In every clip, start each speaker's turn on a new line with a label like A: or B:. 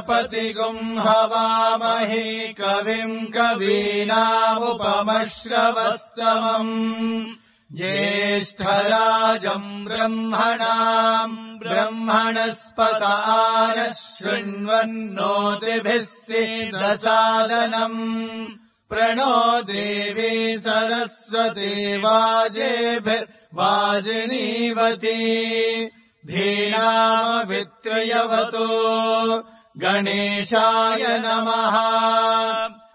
A: प्रजापतिगुम् हवामहे कविम् कवीनामुपमश्रवस्तमम् ज्येष्ठराजम् ब्रह्मणाम् ब्रह्मणस्पत आनः शृण्वन्नोतिभिः सीदसादनम् प्रणो देवी सरस्वती वाजेभिर्वाजिनीवती धीनामवित्रयवतो गणेशाय नमः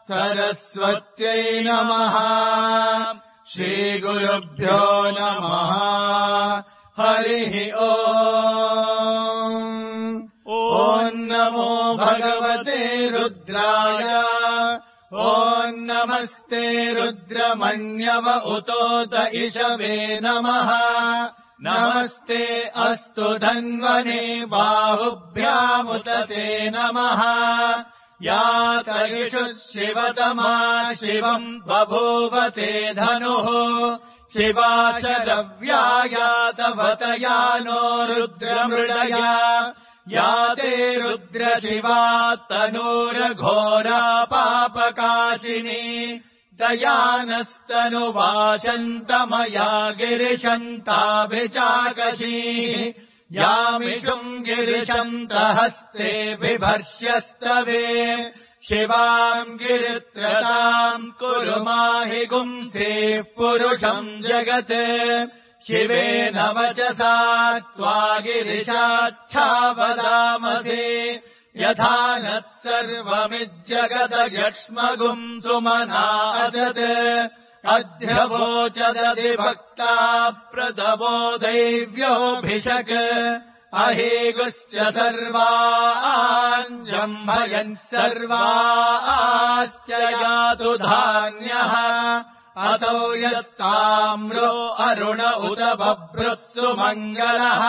A: सरस्वत्यै नमः श्रीगुरुभ्यो नमः हरिः ॐ नमो भगवते रुद्राय ॐ नमस्ते रुद्रमण्यव उतोत इषवे नमः नमस्ते अस्तु धन्वने बाहुभ्यामुत ते नमः या तरिषु शिवतमा शिवम् बभूवते धनुः शिवा च रव्याया तवतया नो रुद्रमृडया या ते रुद्रशिवा तनूरघोरा पापकाशिनी दयानस्तनुवाचन्तमया गिरिशन्ताभिचाकशी यामिषुम् गिरिशन्तहस्ते बिभर्ष्यस्तवे शिवाम् गिरित्रताम् कुरु माहि गुंसेः पुरुषम् जगत् शिवेन वचसा त्वा गिरिशाच्छावदामसे यथा नः सर्वमिज्जगदयक्ष्मगुम् सुमना असत् अध्यवोचदधिभक्ता प्रदवो दैव्योऽभिषक् अहेगुश्च सर्वाञ्जम्भयन् सर्वाश्च यातु धान्यः असौ यस्ताम्रो अरुण उत बभ्रुः सुमङ्गलः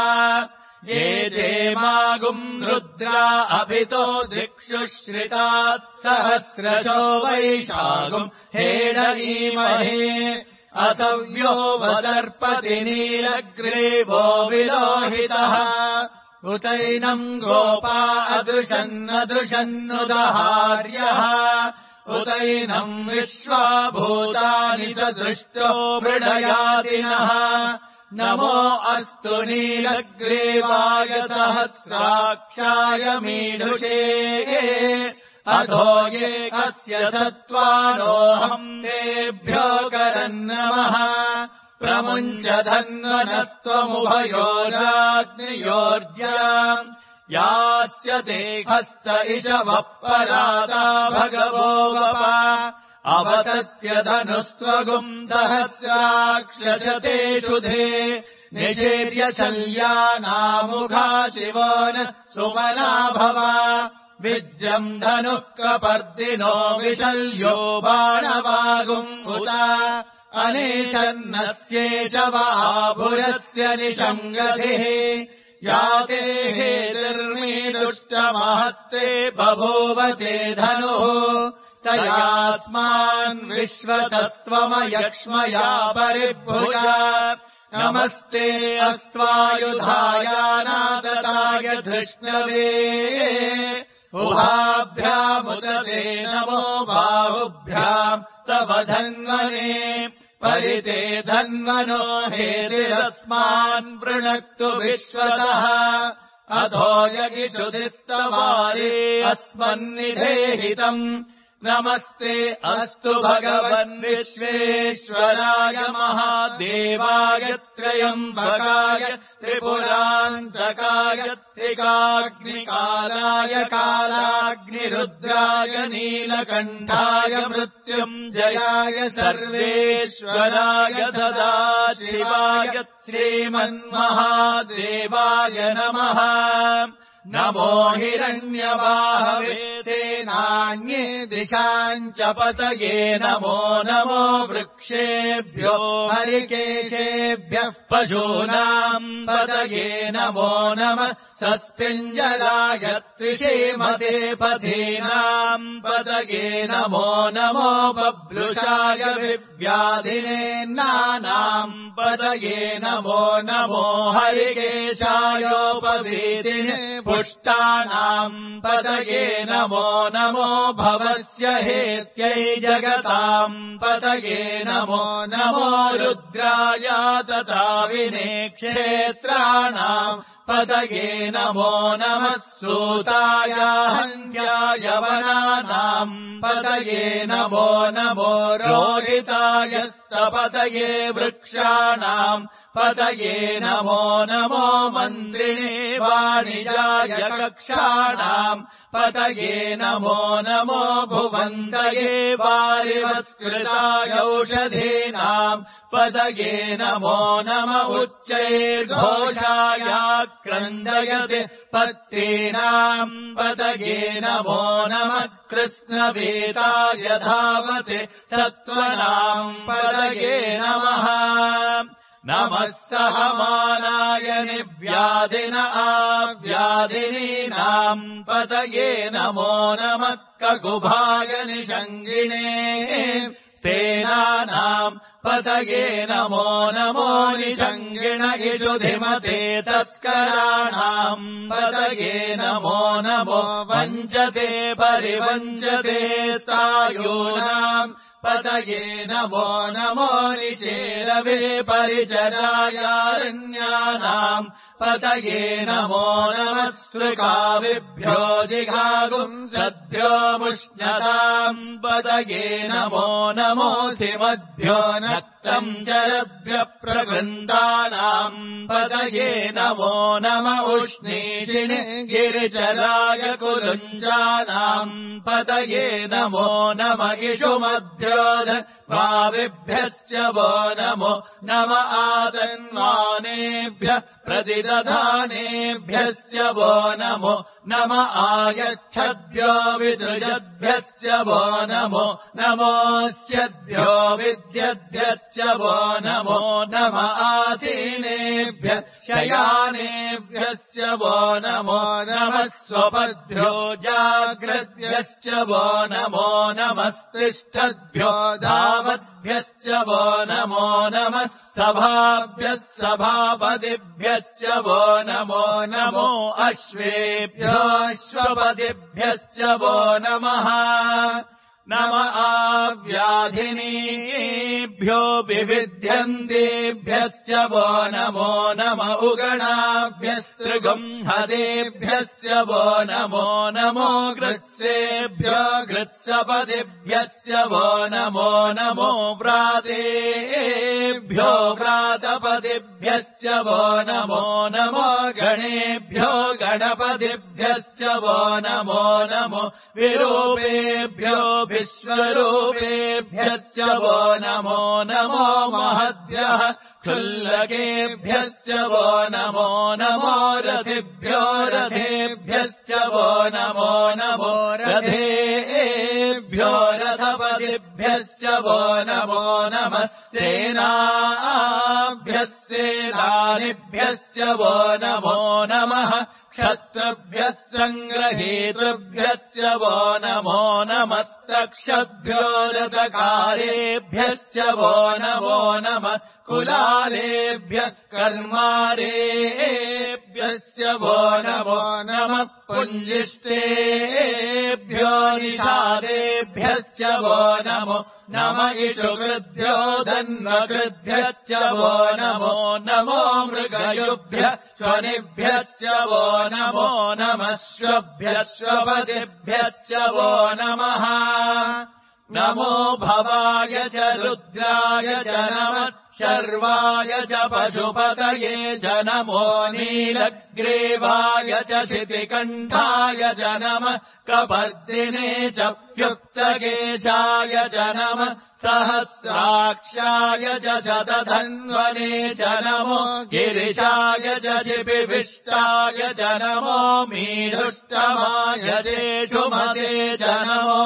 A: ये जेमागुम् रुद्रा अभितो दिक्षु श्रितात् सहस्रशो वैशागुम् हेडनीमहे असव्यो वदर्पति नीलग्रीवो विलोहितः उतैनम् गोपा अदृशन्नदृशन्नुदहार्यः उतैनम् विश्वाभूतानि च दृष्टो मृडयादिनः नमो अस्तु नीलग्रीवाय सहस्राक्षाय मीढुषे अधो ये कस्य सत्त्वानोऽहम् तेभ्यो करन्नमः प्रमुञ्च धन्वनस्त्वमुभयोराग्नियोर्ज्याम् यास्य ते हस्त इषवः परादा भगवो वपा अवतत्य धनुस्वगुम् सहस्राक्षशते शुधे निषेर्य शल्यानामुखा शिवो न सुमना भवा विद्यम् धनुः कपर्दिनो विशल्यो बाणवागुम् उता अनेशन्नस्येष वाभुरस्य निषङ्गतिः याते हेतिर्मीदुष्टमहस्ते बभूवते धनुः तयास्मान् विश्वतस्त्वमयक्ष्मया परिभुजा नमस्ते अस्त्वायुधायानादताय धृष्णवे उभाभ्यामुदते नमो बाहुभ्याम् तव धन्वने परिते धन्वनो हेतिरस्मान् वृणक्तु विश्वतः अधो यगिषुधिस्तवारे अस्मन्निधेहितम् नमस्ते अस्तु भगवन् विश्वेश्वराय महादेवाय त्रयम्बकाय त्रिपुरान्तकाय त्रिकाग्निकालाय कालाग्निरुद्राय नीलकण्ठाय मृत्युञ्जयाय सर्वेश्वराय सदाशिवाय श्रीमन्महादेवाय नमः नमो हिरण्यवाहवे सेनान्ये दिशाम् च पतये नमो नमो वृक्षेभ्यो हरिकेशेभ्यः पशूनाम् पतये नमो नमः सस्पिञ्जराय त्रिषेमते पथीनाम् पतये नमो नमो बभ्रुषाय विव्याधिनेन्नानाम् पतये नमो नमो हरिकेशायोपवीतिने पुष्टानाम् पतये नमो नमो भवस्य हेत्यै जगताम् पतये नमो नमो रुद्राय तथा विने क्षेत्राणाम् पतये नमो नमः सूताय हन्याय वनानाम् पतये नमो नमो रोहिताय स्तपतये वृक्षाणाम् पतये नमो नमो मन्त्रिणे वाणिजाय कक्षाणाम् पतये नमो नमो भुवन्तये वारिवस्कृताय औषधीनाम् पतये नमो नम उच्चैर्घोषाय क्रन्दयति पत्तीनाम् पतये नमो नमः कृष्णवेदाय धावते सत्त्वनाम् पतये नमः नमः सहमानाय निव्याधिन आव्याधिनीनाम् पतये नमो नमः ककुभाय निषङ्गिणे स्तेनानाम् पतये नमो नमो निषङ्गिण इषुधिमते तस्कराणाम् पतये नमो नमो वञ्चते परिवञ्चते स्थायूनाम् पतये नमो नमो निचेरवे परिचरायारण्यानाम् पतये नमो नमः स्त्रुकाविभ्यो जिघागुंसद्भ्यो मुष्णताम् पतये नमो नमोऽसिमद्भ्यो नक्तम् चरभ्यः प्रगृन्दानाम् पतये नमो नम उष्णीषिणे गिरिचराय कुलुञ्जानाम् पतये नमो नम इषुमभ्योध भाविभ्यश्च वो नमो नम आतन्वानेभ्यः प्रतिदधानेभ्यश्च वो नमो नम आयच्छद्भ्यो विसृजद्भ्यश्च वो नमो नमोऽस्यद्भ्यो विद्यद्भ्यश्च वो नमो नम आसीनेभ्यः शयानेभ्यश्च वो नमो नमः स्वपद्भ्यो जाग्रद्भ्यश्च वो नमो नमस्तिष्ठद्भ्यो धावद्भ्यश्च वो नमो नमः सभाभ्यः सभापतिभ्यश्च वो नमो नमो अश्वेभ्यो अश्वपतिभ्यश्च वो नमः नम आव्याधिनीभ्यो विविध्यन्तेभ्यश्च वो नमो नम उगणाभ्यस्त्रिगुंहतेभ्यश्च वो नमो नमो गृत्सेभ्यो गृत्सपतिभ्यश्च वो नमो नमो व्रातेभ्यो व्रातपतिभ्यश्च वो नमो नमो गणेभ्यो गणपतिभ्यश्च वो नमो नमो विरूपेभ्यो विश्वरूपेभ्यश्च वो नमो नमो महद्भ्यः क्षुल्लकेभ्यश्च वो नमो नमो रथिभ्यो रथेभ्यश्च वो नमो नमो रथेभ्यो रथपतिभ्यश्च वो नमो नमः सेनाभ्यः सेनानिभ्यश्च वो नमो नमः क्षत्रुभ्यः सङ्ग्रहेतृभ्यश्च वो नमो नमस्तक्षद्भ्यो रथकारेभ्यश्च वो नमो नमः कुलालेभ्यः कर्मारेभ्यश्च वो नमो नमः पुञ्जिष्टेभ्यो निषादेभ्यश्च वो नमो नम इषुकृद्भ्यो धन्वकृद्भ्यश्च वो नमो नमो मृगयुभ्यः स्वनिभ्यश्च वो नमो नमश्वभ्यश्वपतिभ्यश्च वो नमः नमो भवाय च रुद्राय च नमः शर्वाय च पशुपतये च नमो नीलग्रीवाय च शितिकण्ठाय च नमः कपर्दिने च युक्तकेशाय च नमः सहस्राक्षाय च शतधन्वने च नमो गिरिशाय च शिपिविष्टाय च नमो मीढुष्टमाय जेषुमते च नमो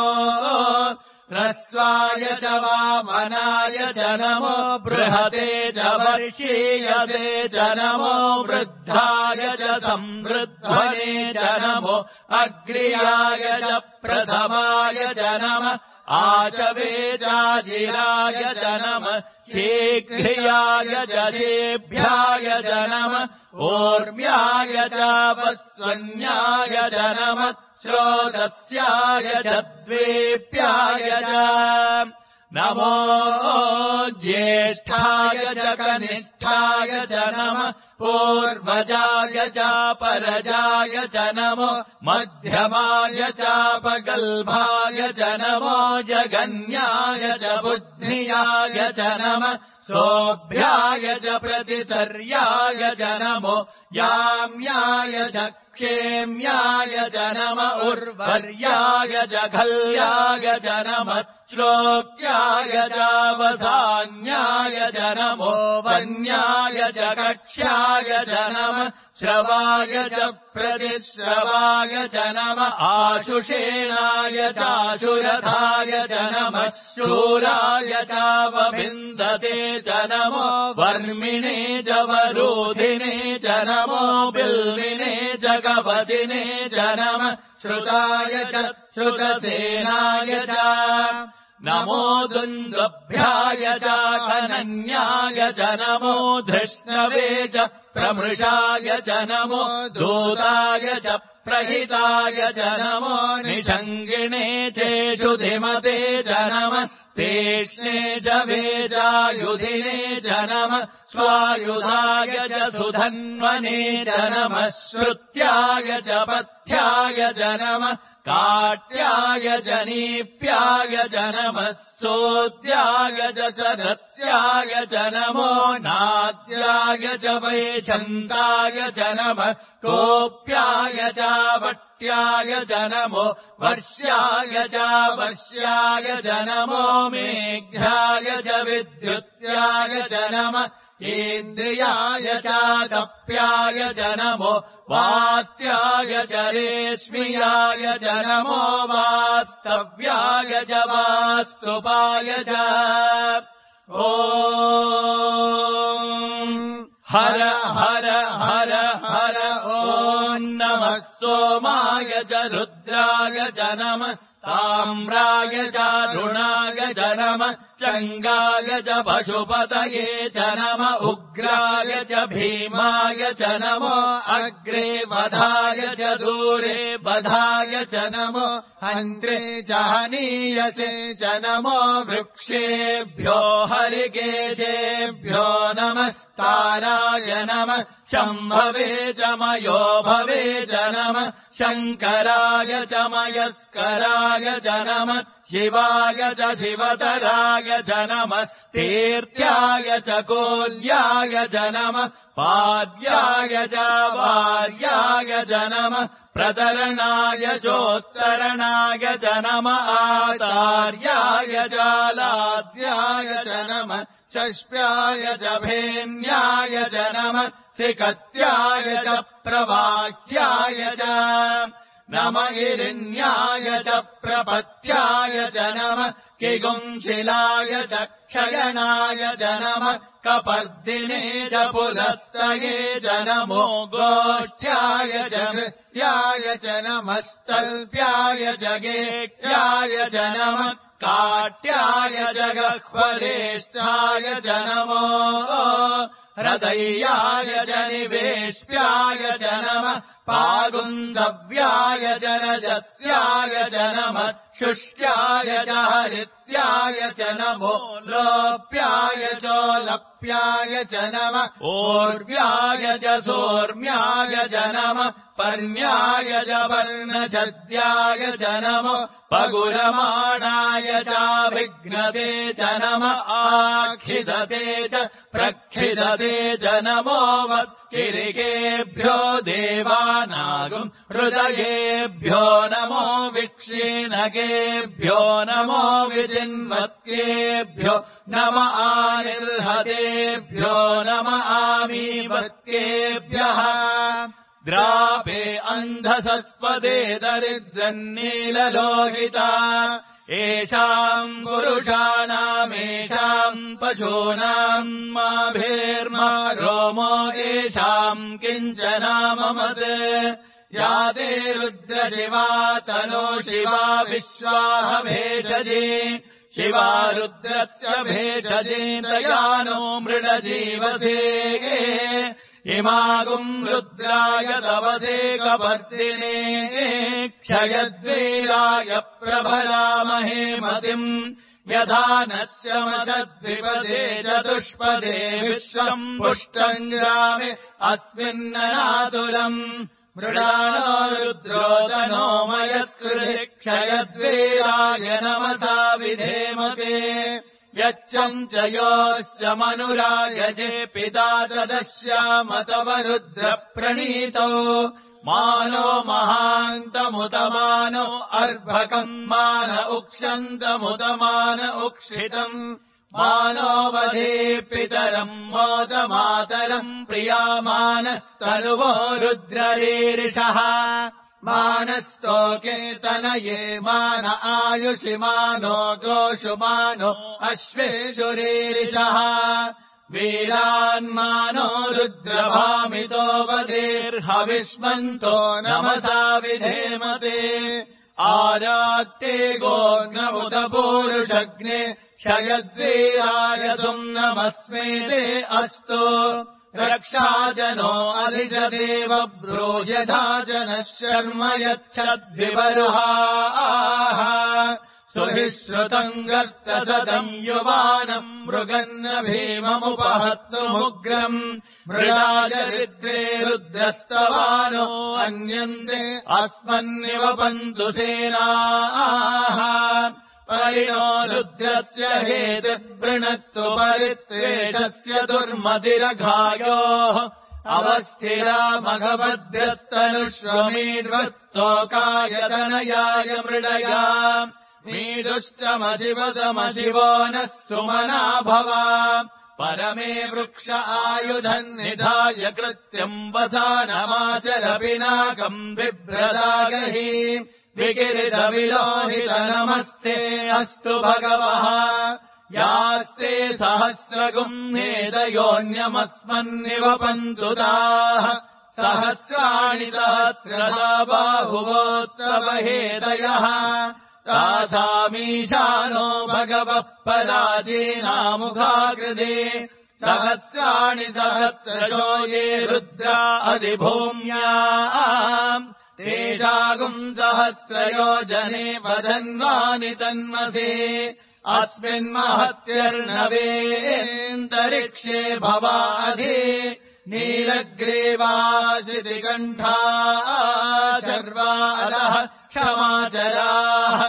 A: ह्रस्वाय च वामनाय च नमो बृहते च वर्षीयते च नमो वृद्धाय च संवृद्धने च नमो अग्र्याय च प्रथमाय च नमः आशवे चाजिराय च नमः शीघ्रियाय च शेभ्याय च नमः ऊर्म्याय च वस्वन्याय च नमः श्रोतस्याय च द्वेप्याय च नमो ज्येष्ठाय च कनिष्ठाय च नमः पूर्वजाय च परजाय च नमो मध्यमाय चापगल्भाय च नमो जगन्याय च बुद्धियाय च नमः सोऽभ्याय च प्रतिसर्याय च नमो याम्याय च क्षेम्याय च नमः उर्वर्याय च खल्याय च नमः श्लोक्याय च वधान्याय च नमो वन्याय च कक्ष्याय च नमः श्रवाय च प्रतिश्रवाय च नमः आशुषेणाय चाशुरथाय च नमः शूराय चावभिन्दते च नमो वर्मिणे च वरोधिने च नमो बिल्विने च कवचिने च नमः श्रुताय च श्रुतसेनाय च नमो दुन्दुभ्याय च खनन्याय च नमो धृष्णवे च प्रमृषाय च नमो दूताय च प्रहिताय च नमो निषङ्गिणे चेषुधिमते च नमः तेष्णे च वेजायुधिने च नमः स्वायुधाय च सुधन्वने च नमः श्रुत्याय च पथ्याय च नमः काट्याय च नीप्याय च नमः सोद्याय च रस्याय च नमो नाद्याय च वैशन्ताय च नमः कोप्याय च वट्याय च नमो वर्ष्याय च वर्ष्याय च नमो मेघ्याय च विद्युत्याय च नमः इन्द्रियाय च कप्याय च नमो वात्याय च रेश्मियाय च नमो वास्तव्याय च वास्तुपाय च ॐ हर हर हर हर ॐ नमः सोमाय च रुद्राय च नमः ताम्राय च ऋणाय च नमः चङ्गाय च पशुपतये च नमः उग्राय च भीमाय च नमो अग्रे वधाय च दूरे वधाय च नमो हन्त्रे च हनीयसे च नमो वृक्षेभ्यो हरिकेशेभ्यो नमस्ताराय नमः शम्भवे च मयो भवे च नमः शङ्कराय च मयस्कराय च नमः शिवाय च शिवतराय च नमः तीर्थ्याय च कोल्याय च नमः पाद्याय च वार्याय च नमः प्रतरणाय चोत्तरणाय च नमः आचार्याय च लाद्याय च नमः षष्प्याय च भेन्याय च नमः सिकत्याय च प्रवाक्याय च नमः हिरण्याय च प्रपत्याय च नमः किगुंशिलाय च क्षयनाय च नमः कपर्दिने च पुलस्तये च नमो गोष्ठ्याय च नृत्याय च नमः स्तल्प्याय च गेक्ष्याय च नमः काट्याय च गह्वरेष्ठाय च नमो हृदयाय च निवेश्याय च नमः पागुन्दव्याय च रजस्याय च नमः शुष्क्याय च हरित्याय च नमो लोप्याय चोलप्याय च नमः ऊर्व्याय च सोर्म्याय च नमः पर्ण्याय च वर्णछद्याय च नमो पगुरमाणाय चाभिघ्नते च नमः आखिदते च प्रक्षिदते च नमो वत्किरिकेभ्यो देवानागम् हृदयेभ्यो नमो विक्षीणकेभ्यो नमो विजिन्वत्केभ्यो नम आनिर्हतेभ्यो नम आमीवत्केभ्यः द्रापे अन्धसस्पदे दरिद्रन्नीललोहिता येषाम् पुरुषाणामेषाम् पशूनाम् माभेर्मा रोमो येषाम् किञ्चनाममत् या ते रुद्रशिवा तनो शिवा विश्वाह भेषजे शिवा रुद्रस्य भेषजे तयानो मृडजीवसे इमागुम् रुद्राय तवसे कवर्तिने क्षयद्वीराय प्रभरामहे मतिम् यथा नश्यमशद्विपदे चतुष्पदे विश्वम् पुष्टम् ग्रामे अस्मिन्ननातुलम् मृडानो रुद्रोदनो मयस्कृते क्षयद्वीराय नमसा विधेमते यच्छम् च योऽस्य मनुरायजे पिता तदस्यामतवरुद्रप्रणीतो मानो महान्तमुतमानो अर्भकम् मान उक्षन्तमुतमान उक्षितम् मानो वधे पितरम् मोदमातरम् प्रियामानस्तनुवो रुद्ररीरिषः मानस्तोके तनये मान आयुषि मानो गोषु मानो अश्वेषुरीरिषः वीरान्मानो रुद्रभामितो वधेर्हविष्मन्तो नमसा विधेमते आरात्ते गोर्णमुत पूरुषग्ने क्षयद्वीराय नमस्मेते अस्तु रक्षाजनो अधिजदेव ब्रूयधा जनः शर्म यच्छद्विबर्हाः सुहिश्रुतम् गर्तसदम् युवानम् मृगन्न भीममुपहत्तुमुग्रम् मृडाजरिद्रे रुद्रस्तवानो अन्यन्ते अस्मन्निवपन्तु सेनाः परिणो रुद्रस्य हेतुर्वृणत्तु परित्वेषस्य दुर्मतिरघायोः अवस्थिरा मघवद्भ्यस्तनुष्वमीर्वत्तोकायतनयाय मृडया मीदुष्टमशिवतमशिवो नः सुमना भव परमे वृक्ष आयुधम् निधाय कृत्यम् वसानमाचर पिनाकम् बिभ्रदागहि विकिरितविलोहित नमस्ते अस्तु भगवः यास्ते सहस्रगुम्हेदयोऽन्यमस्मन्निवपन्तु ताः सहस्राणि सहस्रधा बाहुवोस्तव हेदयः तासामीशानो भगवः पराचीनामुखाकृते सहस्राणि सहस्रजो ये रुद्रा अधिभूम्याम् तेषागुम् सहस्रयोजने वदन्वानि तन्मसे अस्मिन्महत्यर्णवेऽन्तरिक्षे भवाधि नीलग्रीवाशितिकण्ठा शर्वादः क्षमाचराः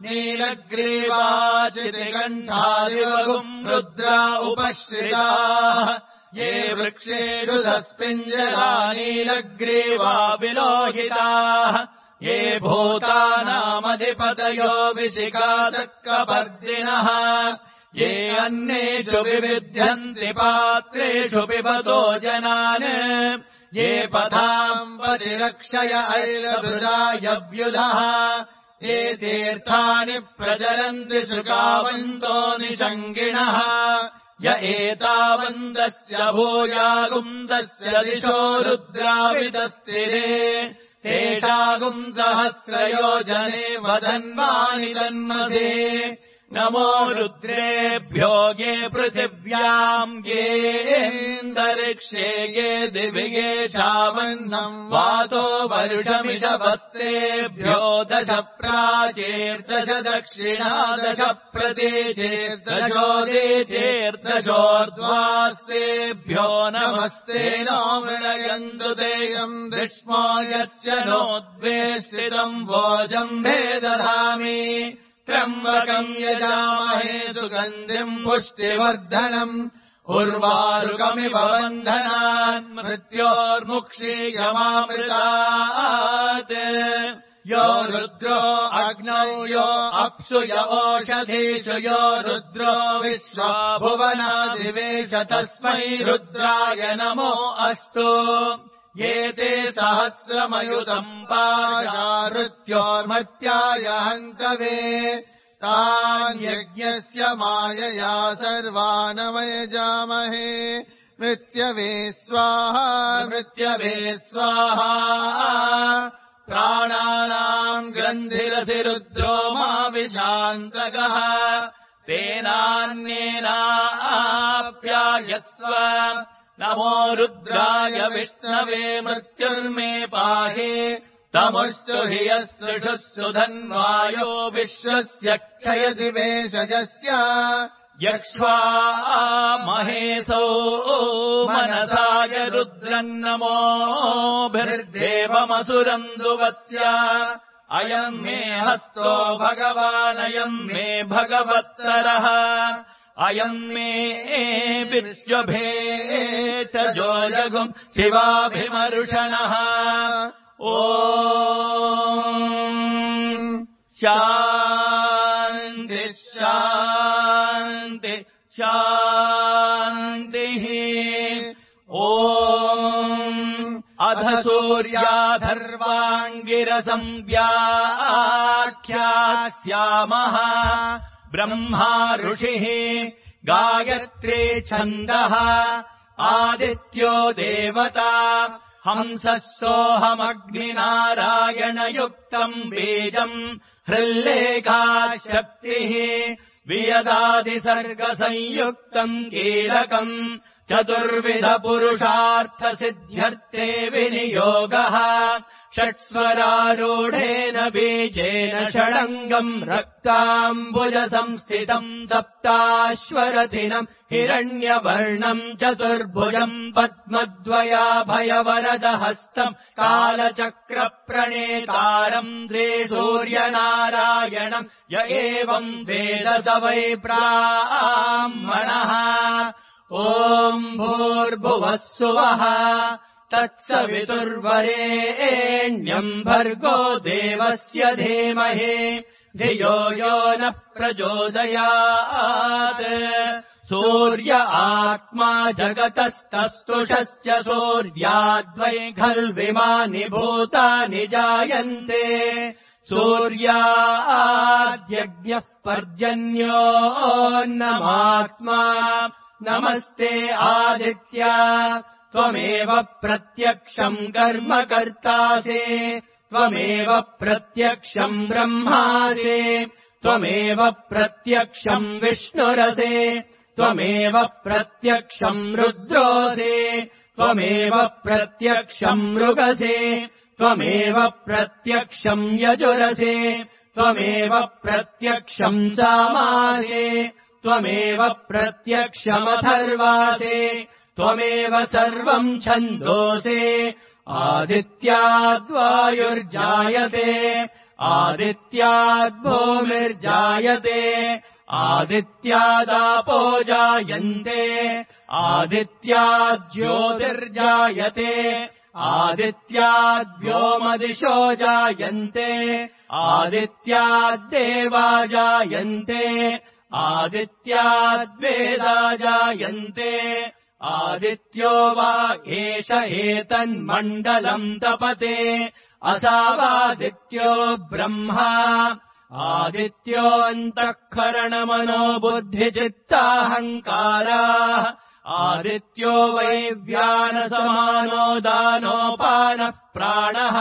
A: नीलग्रीवाशितिकण्ठादिवगुम् रुद्रा उपश्रिताः ये वृक्षेषु तस्मिञ्जरा नीलग्रीवा विलोहिताः ये भूतानामधिपतयो विशिखातर्कपर्दिनः ये अन्नेषु विविध्यन्ति पात्रेषु पिबतो जनान् ये पथाम् परिरक्षय ऐलभृदायव्युधः ये तीर्थानि प्रचरन्ति शुकावन्तो निषङ्गिणः य एतावन्तस्य भूयागुंसस्य दिशो रुद्रावितस्थिरे तेषागुम् सहस्रयोजने वदन्वानि तन्मसे नमो रुद्रेभ्यो ये पृथिव्याम् येऽन्तरिक्षे ये दिवि ये चावन्नम् वातो वर्षमिषवस्तेभ्यो दश प्राचेर्दश दक्षिणा दश प्रतीचेर्दशोदीचेर्दशोर्ध्वास्तेभ्यो नमस्ते नो मृणयन्तु तेयम् दृष्मो यश्च नोद्वेष्टितम् वोजम्भे दधामि त्र्यम्बकम् यजामहे सुगन्धिम् पुष्टिवर्धनम् उर्वारुकमिव बन्धनान् मृत्योर्मुक्षीयमामृतात् यो रुद्रो अग्नौ यो अप्सु य ओषधीषु यो रुद्रो विश्वा भुवनादिवेश तस्मै रुद्राय नमो अस्तु ये ते सहस्रमयुतम् पाशारुत्योर्मत्याय हन्तवे तान् यज्ञस्य मायया सर्वानमयजामहे मृत्यवे स्वाहा मृत्यवे स्वाहा प्राणानाम् ग्रन्थिरसि रुद्रो मा विशान्तकः तेनान्येनाप्यायस्व नमो रुद्राय विष्णवे मृत्युर्मे पाहि तमुश्चु हि यस्सृषुः सुधन्वायो विश्वस्य क्षयति वेशजस्य यक्ष्वा महेशो मनसाय रुद्रन्नमोभिर्देवमसुरन्दुवस्य अयम् मे हस्तो भगवानयम् मे भगवत्तरः अयम् मे विश्वभेषजो जगुम् शिवाभिमर्षणः ॐ शान्ति शान्ति शान्तिः ॐ अध सूर्याधर्वाङ्गिरसं व्याख्यास्यामः ब्रह्मा ऋषिः गायत्री छन्दः आदित्यो देवता हंसः सोऽहमग्निनारायणयुक्तम् बीजम् हृल्लेखा शक्तिः वियदादिसर्गसंयुक्तम् कीलकम् चतुर्विधपुरुषार्थसिद्ध्यर्थे विनियोगः षट्स्वरारूढेन बीजेन षडङ्गम् रक्ताम्बुजसंस्थितम् सप्ताश्वरथिनम् हिरण्यवर्णम् चतुर्भुजम् पद्मद्वयाभयवरदहस्तम् कालचक्रप्रणेतारम् श्रीसूर्यनारायणम् य एवम् वेद स वै ब्राह्मणः ॐ भूर्भुवः सुवः तत्सवितुर्वरेण्यम् भर्गो देवस्य धीमहि धियो यो नः प्रचोदयात् सूर्य आत्मा जगतस्तस्तुषस्य सूर्याद्वै खल्विमानि भूतानि जायन्ते सूर्याद्यज्ञः पर्जन्योऽन्नमात्मा नमस्ते आदित्या त्वमेव प्रत्यक्षम् कर्म कर्तासि त्वमेव प्रत्यक्षम् ब्रह्मासि त्वमेव प्रत्यक्षम् विष्णुरसि त्वमेव प्रत्यक्षम् रुद्रोसि त्वमेव प्रत्यक्षम् मृगसि त्वमेव प्रत्यक्षम् यजुरसि त्वमेव प्रत्यक्षम् सामासि त्वमेव प्रत्यक्षमथर्वासि त्वमेव सर्वम् छन्दोसि आदित्याद्वायुर्जायते आदित्याद्भूमिर्जायते आदित्यादापो जायन्ते आदित्याज्योतिर्जायते आदित्याद्व्योमदिशो जायन्ते आदित्याद्देवा जायन्ते आदित्याद्वेदा जायन्ते आदित्यो वा एष एतन्मण्डलम् तपते असावादित्यो ब्रह्मा आदित्योऽन्तःकरणमनो बुद्धिचित्ताहङ्काराः आदित्यो वै व्यानसमानो दानोपानः प्राणः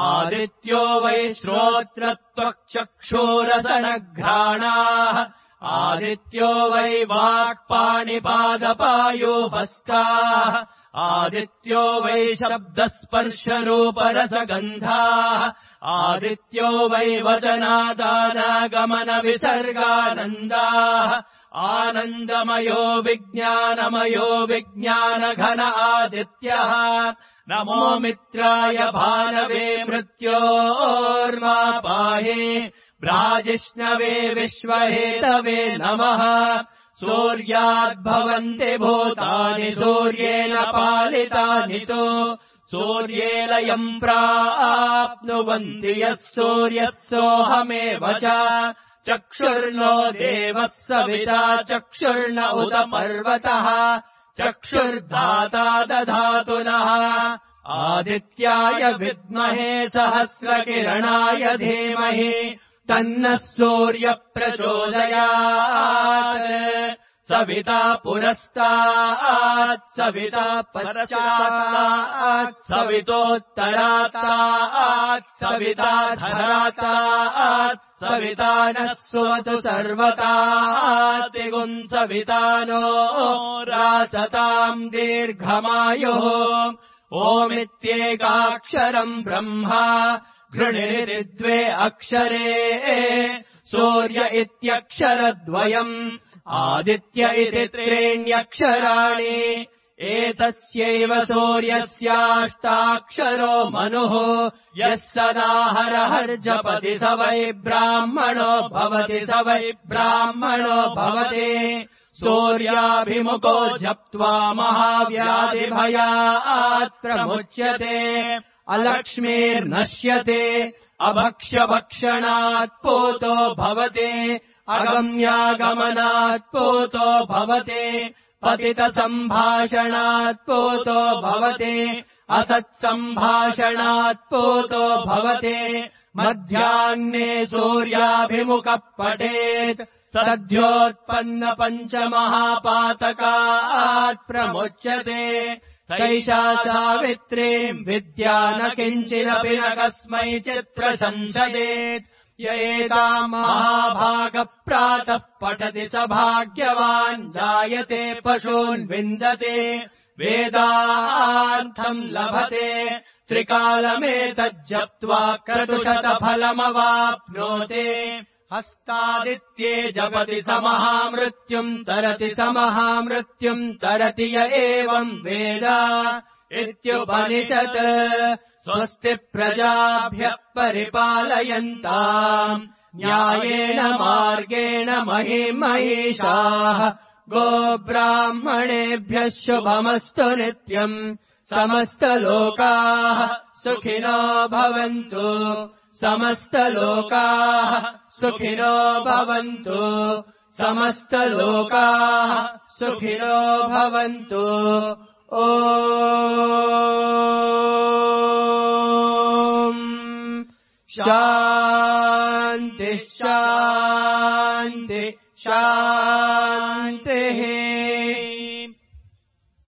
A: आदित्यो वै श्रोत्रत्वक्चक्षुरसनघ्राणाः आदित्यो वै वाक्पाणिपादपायोपस्काः आदित्यो वै शब्दस्पर्शरूपरसगन्धाः आदित्यो वै वचनादानागमनविसर्गानन्दाः आनन्दमयो विज्ञानमयो विज्ञानघन आदित्यः नमो मित्राय भानवे मृत्योर्मा पाहि ब्राजिष्णवे विश्वहेतवे नमः सूर्याद्भवन्ति भूतानि सूर्येण पालितानि तु सूर्येलयम् प्राप्नुवन्ति यः सूर्यः सोऽहमेव च चक्षुर्नो देवः सविता चक्षुर्न उत पर्वतः चक्षुर्दाता दधातु नः आदित्याय विद्महे सहस्रकिरणाय धीमहि तन्नः सूर्यः प्रचोदयात् सविता पुरस्तात् सविता पश्चात् सवितोत्तरात् सविता धरात् सविता नः सुवतु सर्वतातिगुं सविता नो रासताम् दीर्घमायुः ओमित्येकाक्षरम् ब्रह्मा घृणिरिति द्वे अक्षरे सूर्य इत्यक्षरद्वयम् आदित्य इति त्रीण्यक्षराणि एतस्यैव सूर्यस्याष्टाक्षरो मनुः यः सदा हरहर्जपति स वै ब्राह्मणो भवति स वै ब्राह्मणो भवति सूर्याभिमुखो जप्त्वा महाव्याधिभयात् प्रमुच्यते अलक्ष्मीर्नश्यते अभक्ष्यभक्षणात् पूतो भवति अगम्यागमनात् पूतो भवति पतितसम्भाषणात् पूतो भवति असत्सम्भाषणात् पूतो भवति मध्याह्ने सूर्याभिमुखः पठेत् सद्योत्पन्न पञ्चमहापातकात् प्रमुच्यते सैषा सावित्रीम् विद्या न किञ्चिदपि न कस्मैचित् प्रशंसयेत् य एताम् महाभागः प्रातः पठति स भाग्यवान् जायते पशून् विन्दते वेदार्थम् लभते त्रिकालमेतज्जप्त्वा क्रतुशतफलमवाप्नोते हस्तादित्ये जपति स महामृत्युम् तरति स महामृत्युम् तरति य एवम् वेद इत्युपनिषत् स्वस्ति प्रजाभ्यः परिपालयन्ताम् न्यायेन मार्गेण महिमहीषाः गोब्राह्मणेभ्यः शुभमस्तु नित्यम् समस्तलोकाः सुखिनो भवन्तु समस्तलोकाः सुखिनो भवन्तु समस्तलोकाः सुखिनो भवन्तु ॐ शान्ति शान्ति शान्तिः